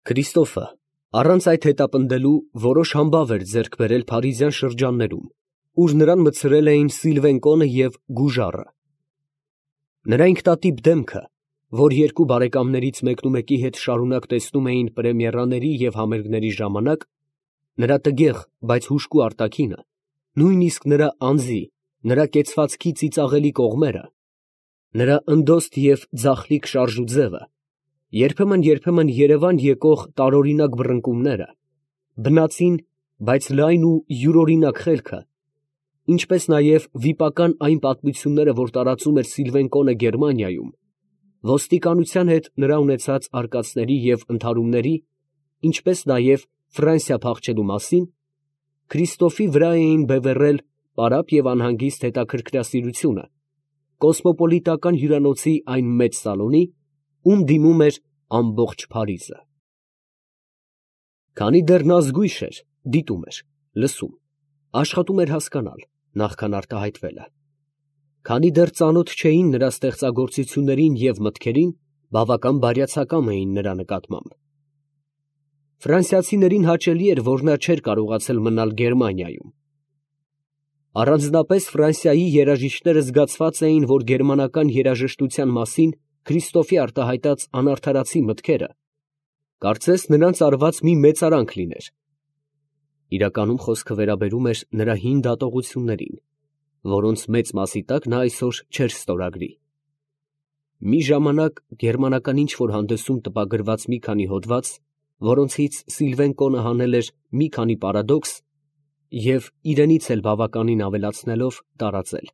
Քրիստոֆը առանց այդ հետապնդելու որոշ համբավ էր ձեռք բերել փարիզյան շրջաններում, ուր նրան մտցրել էին Սիլվենկոնը և Գուժարը։ Նրա ինքնատիպ դեմքը, որ երկու բարեկամներից մեկնումեկի հետ շարունակ տեսնում էին պրեմիերաների և համերգների ժամանակ, նրա տգեղ, բայց հուժկու արտաքինը, նույնիսկ նրա անձի, նրա կեցվածքի ծիծաղելի կողմերը, նրա ընդոստ և ձախլիկ շարժուձևը, երբեմն Երևան եկող տարօրինակ բռնկումները, բնածին, բայց լայն ու յուրօրինակ խելքը, ինչպես նաև վիպական այն պատմությունները, որ տարածում էր Սիլվենկոնը Գերմանիայում, ոստիկանության հետ նրա ունեցած արկածների և ընդհարումների, ինչպես նաև Ֆրանսիա փախչելու մասին, Քրիստոֆի վրա էին բևեռել պարապ և անհանգիստ հետաքրքրասիրությունը, կոսմոպոլիտական հյուրանոցի այն մեծ սալոնի, ում դիմում էր ամբողջ Փարիզը։ Քանի դեռ նա զգույշ էր, դիտում էր, լսում, աշխատում էր հասկանալ, նախքան արտահայտվելը, քանի դեռ ծանոթ չէին նրա ստեղծագործություններին և մտքերին, բավական բարյացակամ էին նրա նկատմամբ։ Ֆրանսիացիներին հաճելի էր, որ նա չէր կարողացել մնալ Գերմանիայում։ Առանձնապես Ֆրանսիայի երաժիշտները զգացված էին, որ գերմանական երաժշտության մասին Քրիստոֆի արտահայտած անարդարացի մտքերը կարծես նրանց արված մի մեծարանք լիներ։ Իրականում խոսքը վերաբերում էր նրա հին դատողություններին, որոնց մեծ մասի տակ նա այսօր չէր ստորագրի։ Մի ժամանակ գերմանական ինչ-որ հանդեսում տպագրված մի քանի հոդված, որոնցից Սիլվենկոնը հանել էր մի քանի պարադոքս և իրենից էլ բավականին ավելացնելով տարածել։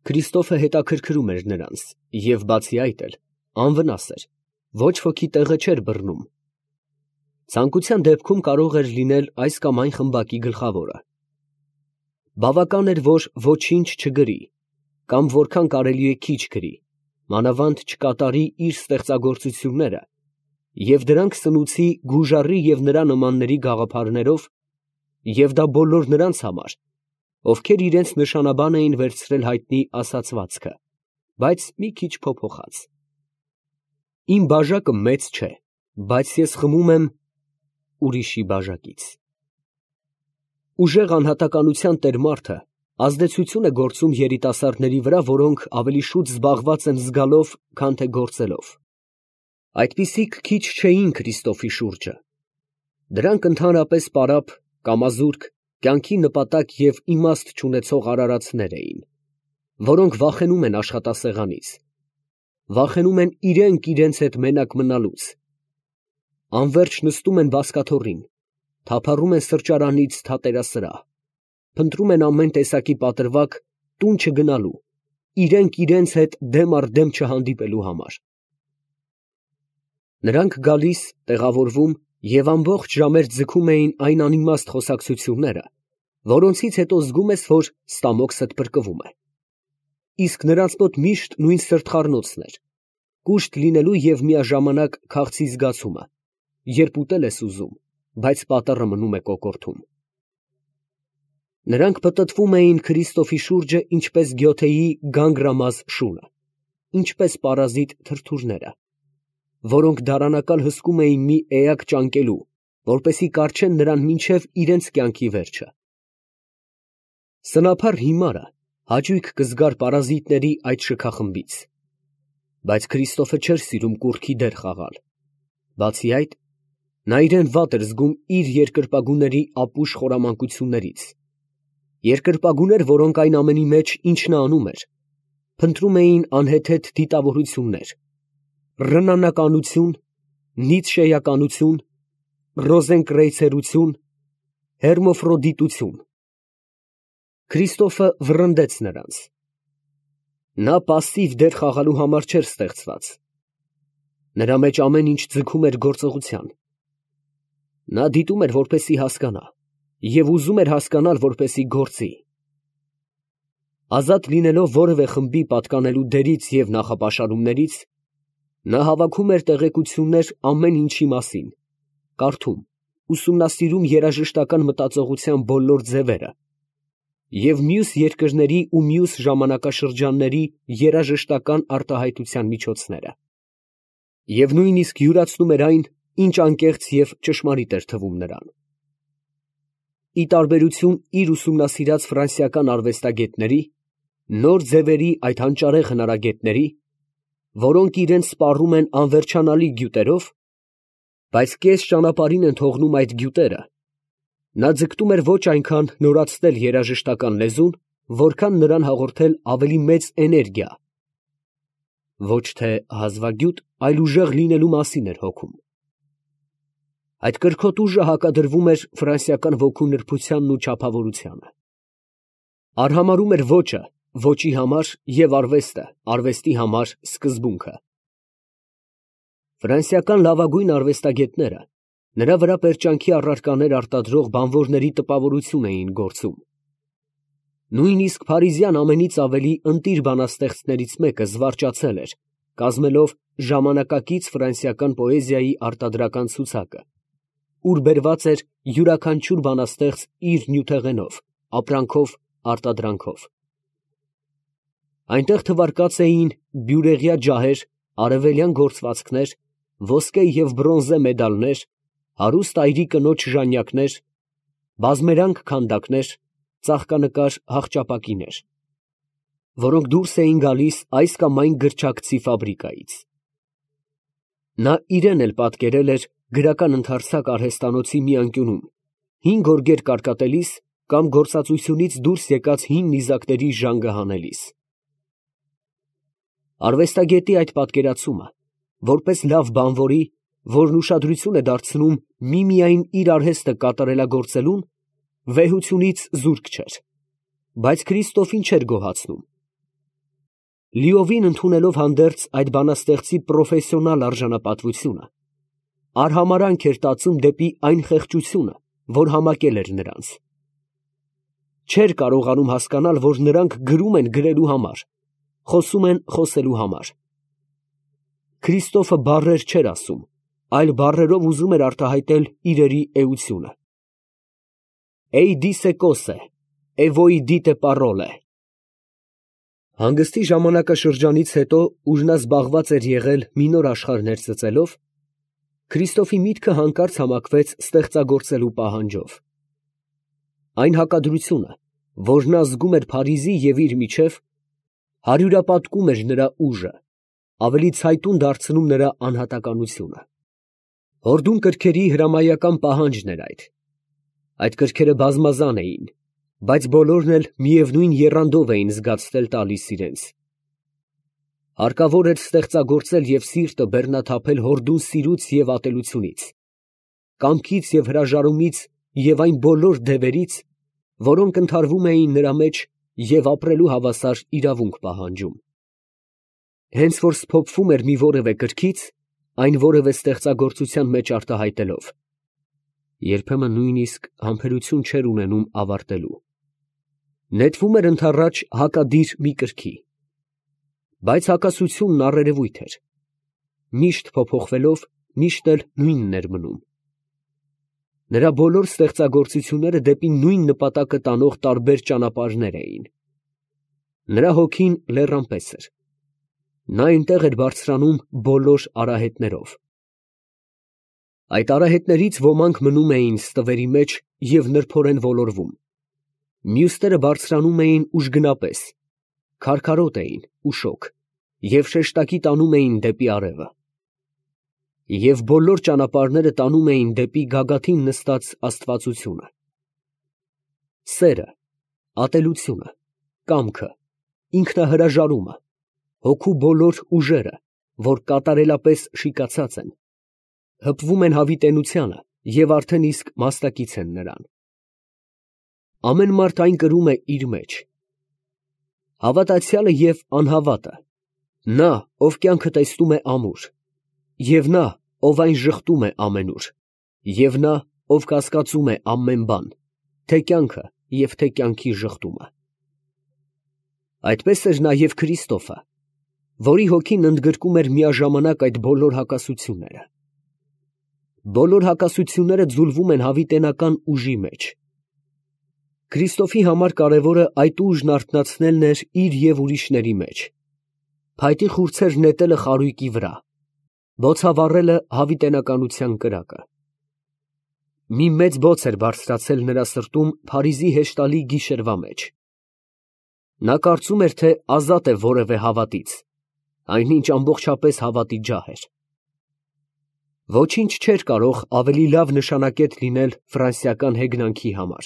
Քրիստոֆը հետաքրքրում էր նրանց և բացի այդ էլ անվնաս էր, ոչ ոքի տեղը չէր բռնում։ Ցանկության դեպքում կարող էր լինել այս կամ այն խմբակի գլխավորը։ Բավական էր, որ ոչինչ չգրի, կամ որքան կարելի է քիչ գրի, մանավանդ չկատարի իր ստեղծագործությունները, և դրանք սնուցի Գուժարի և նրա նմանների գաղափարներով, և դա բոլոր նրանց համար, ովքեր իրենց նշանաբան էին վերցրել հայտնի ասացվածքը, բայց մի քիչ փոփոխած. «Իմ բաժակը մեծ չէ, բայց ես խմում եմ ուրիշի բաժակից»։ Ուժեղ անհատականության տեր մարդը ազդեցություն է գործում երիտասարդների վրա, որոնք ավելի շուտ զբաղված են զգալով, քան թե գործելով։ Այդպիսիք քիչ չէին Քրիստոֆի շուրջը։ Դրանք ընդհանրապես պարապ, կամազուրկ, կյանքի նպատակ և իմաստ չունեցող արարածներ էին, որոնք վախենում են աշխատասեղանից, վախենում են իրենք հետ մենակ մնալուց, անվերջ նստում են բազկաթոռին, թափառում են սրճարանից թատերասրահ, փնտրում են ամեն տեսակի պատրվակ տուն չգնալու, իրենք հետ դեմ առ դեմ չհանդիպելու համար։ Նրանք գալիս, տեղավորվում և ամբողջ ժամեր ձգում էին այն անիմաստ խոսակցությունները, որոնցից հետո զգում ես, որ ստամոքսդ փրկվում է։ Իսկ նրանց մոտ միշտ նույն սրտխառնոցն էր, կուշտ լինելու և միաժամանակ քաղցի զգացումը, երբ ուտել ես ուզում, բայց պատառը մնում է կոկորդում։ Նրանք պտտվում էին Քրիստոֆի շուրջը, ինչպես Գյոթեի գանգրամազ շունը, ինչպես պարազիտ թրթուրները, որոնք դարանակալ հսկում էին մի էակ ճանկելու, որպեսզի կառչեն նրան մինչև իրենց կյանքի վերջը։ Սնափառ հիմարը հաճույք կզգար պարազիտների այդ շքախմբից, բայց Քրիստոֆը չէր սիրում կուռքի դեր խաղալ։ Բացի այդ, նա իրեն վատ էր զգում իր երկրպագուների ապուշ խորամանկություններից, երկրպագուներ, որոնք այն ամենի մեջ, ինչ նա անում էր, փնտրում էին անհեթեթ դիտավորություններ, ռնանականություն, նիցշեականություն, ռոզենկրեյցերություն, հերմոֆրոդիտություն։ Քրիստոֆը վռնդեց նրանց։ Նա պասիվ դեր խաղալու համար չէր ստեղծված։ Նրա մեջ ամեն ինչ ձգում էր գործողության։ Նա դիտում էր, որպեսզի հասկանա, և ուզում էր հասկանալ, որպեսզի գործի։ Ազատ լինելով որևէ խմբի պատկանելու դերից և նախապաշարումներից, նա հավաքում էր տեղեկություններ ամեն ինչի մասին, կարդում, ուսումնասիրում երաժշտական մտածողության բոլոր ձևերը և մյուս երկրների ու մյուս ժամանակաշրջանների երաժշտական արտահայտության միջոցները, և նույնիսկ յուրացնում էր այն, ինչ անկեղծ և ճշմարիտ էր թվում նրան։ Ի տարբերություն իր ուսումնասիրած ֆրանսիական արվեստագետների, նոր ձևերի այդ հանճարեղ հնարագետների, որոնք իրենց սպառում են անվերջանալի գյուտերով, բայց կես ճանապարհին են թողնում այդ գյուտերը, նա ձգտում էր ոչ այնքան նորացնել երաժշտական լեզուն, որքան նրան հաղորդել ավելի մեծ էներգիա, ոչ թե հազվագյուտ, այլ ուժեղ լինելու մասին էր հոգում։ Այդ կրքոտ ուժը հակադրվում էր ֆրանսիական ոգու նրբությանն ու չափավորությանը։ Արհամարհում էր ոճը ոճի համար և արվեստը արվեստի համար սկզբունքը։ Ֆրանսիական լավագույն արվեստագետները նրա վրա պերճանքի առարկաներ արտադրող բանվորների տպավորություն էին գործում։ Նույնիսկ փարիզյան ամենից ավելի ընտիր բանաստեղծներից մեկը զվարճացել էր, կազմելով ժամանակակից ֆրանսիական պոեզիայի արտադրական ցուցակը, ուր բերված էր յուրաքանչյուր բանաստեղծ իր նյութեղենով, ապրանքով, արտադրանքով։ Այնտեղ թվարկած էին բյուրեղյա ջահեր, արևելյան գործվածքներ, ոսկե և բրոնզե մեդալներ, հարուստ այրի կնոջ ժանյակներ, բազմերանգ քանդակներ, ծաղկանկար հաղճապակիներ, որոնք դուրս էին գալիս այս կամ այն գրչակցի ֆաբրիկայից։ Նա իրեն էլ պատկերել էր գրական ընդարձակ արհեստանոցի մի անկյունում, հին գորգեր կարկատելիս կամ գործածությունից դուրս եկած հին նիզակների ժանգը հանելիս։ Արվեստագետի այդ պատկերացումը, որպես լավ բանվորի, որն ուշադրություն է դարձնում միմիայն իր արհեստը կատարելագործելուն, վեհությունից զուրկ չէր, բայց Քրիստոֆին չէր գոհացնում։ Լիովին ընդունելով հանդերձ այդ բանաստեղծի պրոֆեսիոնալ արժանապատվությունը, արհամարանք էր տածում դեպի այն խեղճությունը, որ համակել էր նրանց։ Չէր կարողանում հասկանալ, որ նրանք գրում են գրելու համար, խոսում են խոսելու համար։ Քրիստոֆը բառեր չէր ասում, այլ բառերով ուզում էր արտահայտել իրերի էությունը։ «Էյ դիսե կոսե, է ոյ դիտե պարոլե»։ Հանգստի ժամանակաշրջանից հետո, ուր նա զբաղված էր եղել մի նոր աշխարհ ներծծելով, Քրիստոֆի միտքը հանկարծ համակվեց ստեղծագործելու պահանջով։ Այն հակադրությունը, որ նա զգում էր Փարիզի և իր միջև, հարյուրապատկում էր նրա ուժը, ավելի ցայտուն դարձնում նրա անհատականությունը։ Հորդուն կրքերի հրամայական պահանջն էր այդ։ Այդ կրքերը բազմազան էին, բայց բոլորն էլ միևնույն եռանդով էին զգացվել տալիս իրենց։ Հարկավոր էր ստեղծագործել և սիրտը բեռնաթափել հորդուն սիրուց և ատելությունից, կամքից և հրաժարումից և այն բոլոր դևերից, որոնք ընդհարվում էին նրա մեջ և ապրելու հավասար իրավունք պահանջում։ Հենց որ սփոփվում էր մի որևէ կրքից, այն որևէ ստեղծագործության մեջ արտահայտելով, երբեմն նույնիսկ համբերություն չէր ունենում ավարտելու։ Նետվում էր ընդառաջ հակադիր մի կրքի, բայց հակասությունն առերևույթ էր, միշտ փոփոխվելով, միշտ էլ նույնն էր մնում։ Նրա բոլոր ստեղծագործությունները դեպի նույն նպատակը տանող տարբեր ճանապարհներ էին։ Նրա հոգին լեռան պես էր։ Նա այնտեղ էր բարձրանում բոլոր արահետներով։ Այդ արահետներից ոմանք մնում էին ստվերի մեջ և նրբորեն ոլորվում, մյուսները բարձրանում էին ուժգնապես, քարքարոտ էին ու շոգ և շեշտակի տանում էին դեպի արևը։ Եվ բոլոր ճանապարհները տանում էին դեպի գագաթին նստած աստվածությունը։ Սերը, ատելությունը, կամքը, ինքնահրաժարումը, հոգու բոլոր ուժերը, որ կատարելապես շիկացած են, հպվում են հավիտենությանը և արդեն իսկ մասնակից են նրան։ Ամեն մարդ այն կրում է իր մեջ։ Հավատացյալը և անհավատը, նա, ով կյանքը տեսնում է ամուր, և նա, ով այն ժխտում է ամենուր, և նա, ով կասկածում է ամեն բան, թե կյանքը և թե կյանքի ժխտումը։ Այդպես էր նաև Քրիստոֆը, որի հոգին ընդգրկում էր միաժամանակ այդ բոլոր հակասությունները։ Բոլոր հակասությունները ձուլվում են հավիտենական ուժի մեջ։ Քրիստոֆի համար կարևորը այդ ուժն արթնացնելն էր իր և ուրիշների մեջ, փայտի խուրձեր նետելը խարույկի վրա, Բոցավառելը հավիտենականության կրակը։ Մի մեծ բոց էր բարձրացել նրա սրտում Փարիզի հեշտալի գիշերվա մեջ։ Նա կարծում էր, թե ազատ է որևէ հավատից, այնինչ ամբողջապես հավատի ջահ էր։ Ոչինչ չէր կարող ավելի լավ նշանակետ լինել ֆրանսիական հեգնանքի համար։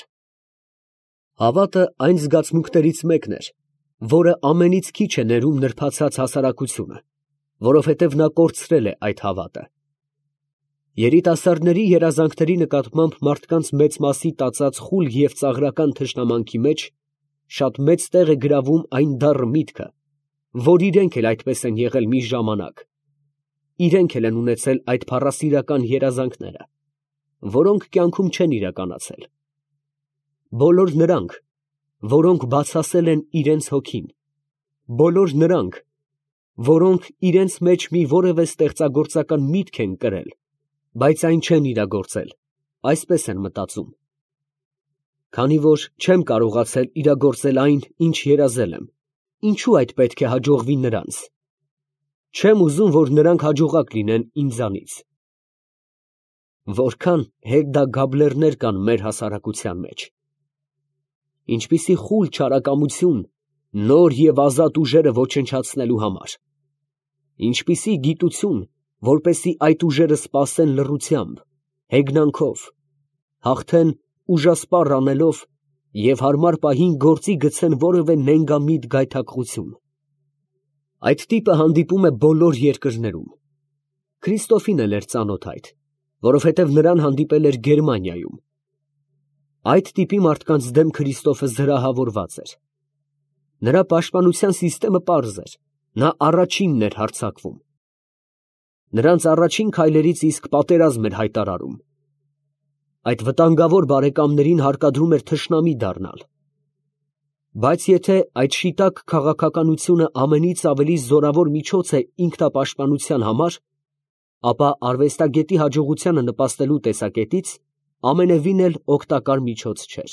Հավատը այն զգացմունքներից մեկն էր, որը ամենից քիչ է ներում նրբացած հասարակությունը, որովհետև նա կորցրել է այդ հավատը։ Երիտասարդների երազանքների նկատմամբ մարդկանց մեծ մասի տածած խուլ և ծաղրական թշնամանքի մեջ շատ մեծ տեղ է գրավում այն դառը միտքը, որ իրենք էլ այդպես են եղել մի ժամանակ, իրենք էլ են ունեցել այդ փառասիրական երազանքները, որոնք կյանքում չեն իրականացել։ Բոլոր նրանք, որոնք բացասել են իրենց հոգին, բոլոր նրանք, որոնք իրենց մեջ մի որևէ ստեղծագործական միտք են կրել, բայց այն չեն իրագործել, այսպես են մտածում. քանի որ չեմ կարողացել իրագործել այն, ինչ երազել եմ, ինչու այդ պետք է հաջողվի նրանց։ Չեմ ուզում, որ նրանք հաջողակ լինեն ինձանից։ Որքան Հեդդա Գաբլերներ կան մեր հասարակության մեջ։ Ինչպիսի խուլ չարակամություն նոր և ազատ ուժերը ոչնչացնելու համար։ Ինչպիսի գիտություն, որպեսզի այդ ուժերը սպասեն լռությամբ, հեգնանքով, հաղթեն ուժասպառ անելով և հարմար պահին գործի գցեն որևէ նենգամիտ գայթակղություն։ Այդ տիպը հանդիպում է բոլոր երկրներում։ Քրիստոֆին էլ էր ծանոթ այդ, որովհետև նրան հանդիպել էր Գերմանիայում։ Այդ տիպի մարդկանց դեմ Քրիստոֆը զրահավորված էր։ Նրա պաշտպանության սիստեմը պարզ էր, նա առաջինն էր հարձակվում։ Նրանց առաջին քայլերից իսկ պատերազմ էր հայտարարում։ Այդ վտանգավոր բարեկամներին հարկադրում էր թշնամի դառնալ։ Բայց եթե այդ շիտակ քաղաքականությունը ամենից ավելի զորավոր միջոց է ինքնապաշտպանության համար, ապա արվեստագետի հաջողությանը նպաստելու տեսակետից ամենևին էլ օգտակար միջոց չէր։